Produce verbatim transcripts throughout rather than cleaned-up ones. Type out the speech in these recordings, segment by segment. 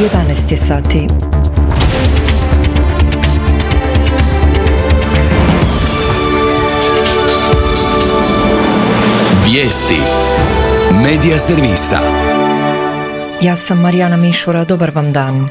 jedanaest je sati. Vijesti Medija servisa. Ja sam Marijana Mišura, dobar vam dan.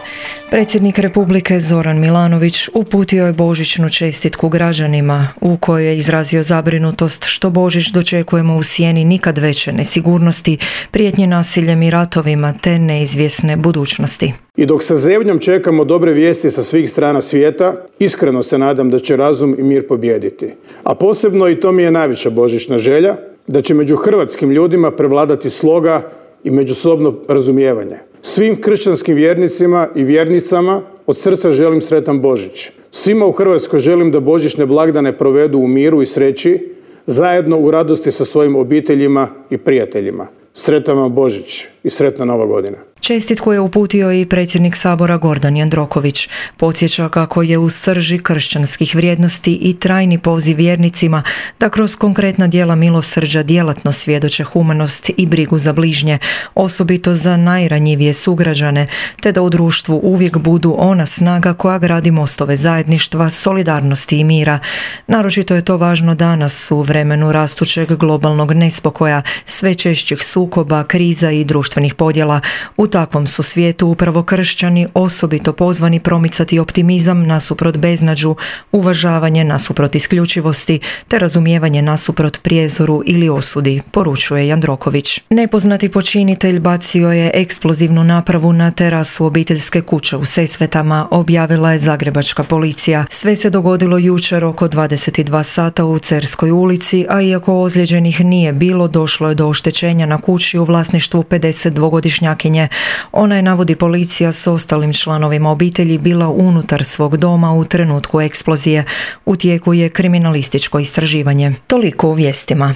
Predsjednik Republike Zoran Milanović uputio je božićnu čestitku građanima u kojoj je izrazio zabrinutost što Božić dočekujemo u sjeni nikad veće nesigurnosti, prijetnje nasiljem i ratovima te neizvjesne budućnosti. I dok sa zebnjom čekamo dobre vijesti sa svih strana svijeta, iskreno se nadam da će razum i mir pobijediti. A posebno, i to mi je najveća božićna želja, da će među hrvatskim ljudima prevladati sloga i međusobno razumijevanje. Svim kršćanskim vjernicima i vjernicama od srca želim sretan Božić. Svima u Hrvatskoj želim da božićne blagdane provedu u miru i sreći, zajedno u radosti sa svojim obiteljima i prijateljima. Sretan vam Božić i sretna Nova godina. Čestitku je uputio i predsjednik Sabora Gordan Jandroković. Podsjeća kako je u srži kršćanskih vrijednosti i trajni poziv vjernicima da kroz konkretna djela milosrđa djelatno svjedoče humanost i brigu za bližnje, osobito za najranjivije sugrađane, te da u društvu uvijek budu ona snaga koja gradi mostove zajedništva, solidarnosti i mira. Naročito je to važno danas u vremenu rastućeg globalnog nespokoja, sve češćih sukoba, kriza i društvenih podjela. U takvom su svijetu upravo kršćani osobito pozvani promicati optimizam nasuprot beznađu, uvažavanje nasuprot isključivosti, te razumijevanje nasuprot prijezoru ili osudi, poručuje Jandroković. Nepoznati počinitelj bacio je eksplozivnu napravu na terasu obiteljske kuće u Sesvetama, objavila je zagrebačka policija. Sve se dogodilo jučer oko dvadeset dva sata u Cerskoj ulici, a iako ozlijeđenih nije bilo, došlo je do oštećenja na kući u vlasništvu pedesetdvogodišnjakinje. Ona je, navodi policija, s ostalim članovima obitelji bila unutar svog doma u trenutku eksplozije. U tijeku je kriminalističko istraživanje. Toliko u vijestima.